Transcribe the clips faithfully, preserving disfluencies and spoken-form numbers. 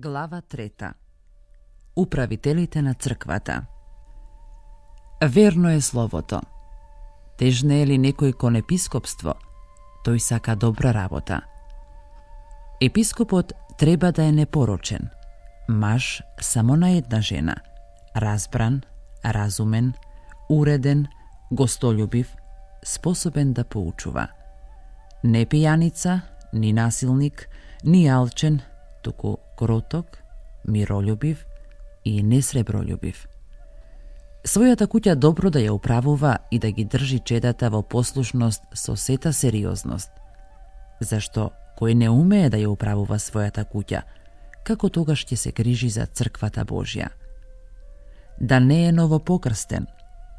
Глава трета. Управителите на црквата. Верно е словото. Тежне е ли некој кон епископство, тој сака добра работа. Епископот треба да е непорочен, маж само на една жена, разбран, разумен, уреден, гостолюбив, способен да поучува. Не пијаница, ни насилник, ни алчен, туку кроток, миролюбив и несребролюбив. Својата куќа добро да ја управува и да ги држи чедата во послушност со сета сериозност. Зашто кој не умее да ја управува својата куќа, како тогаш ќе се грижи за црквата Божја? Да не е новопокрстен,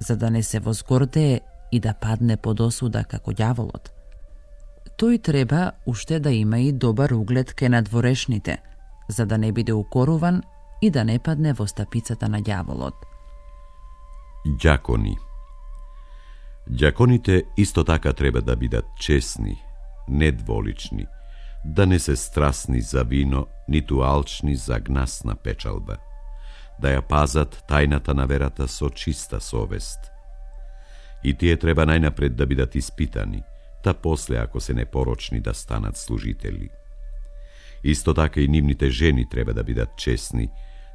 за да не се возгордее и да падне под осуда како ѓаволот. Тој треба уште да има и добар углед кај надворешните, за да не биде укоруван и да не падне во стапицата на ѓаволот. Ѓакони. Ѓаконите исто така треба да бидат чесни, недволични, да не се страсни за вино, ниту алчни за гнасна печалба, да ја пазат тајната на верата со чиста совест. И тие треба најнапред да бидат испитани, та после, ако се непорочни, да станат служители. Исто така и нивните жени треба да бидат чесни,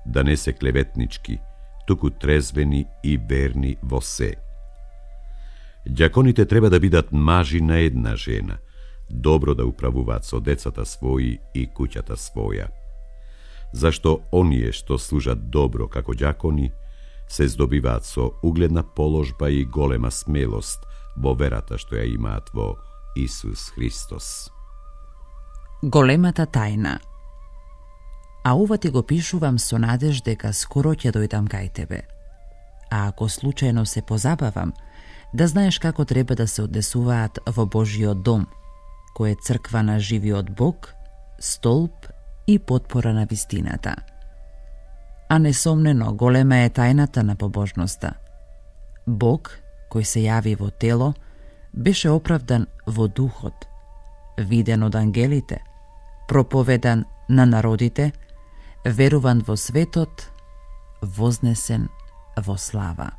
да не се клеветнички, туку трезвени и верни во се. Ѓаконите треба да бидат мажи на една жена, добро да управуваат со децата своји и куќата своја. Зашто оние што служат добро како ѓакони, се здобиваат со угледна положба и голема смелост во верата што ја имаат во Исус Христос. Големата тајна. А ова ти го пишувам со надеж дека скоро ќе дојдам кај тебе. А ако случајно се позабавам, да знаеш како треба да се однесуваат во Божиот дом, кој е црква на живиот Бог, столб и потпора на вистината. А несомнено голема е тајната на побожноста. Бог, кој се јави во тело, беше оправдан во духот, виден од ангелите, проповедан на народите, веруван во светот, вознесен во слава.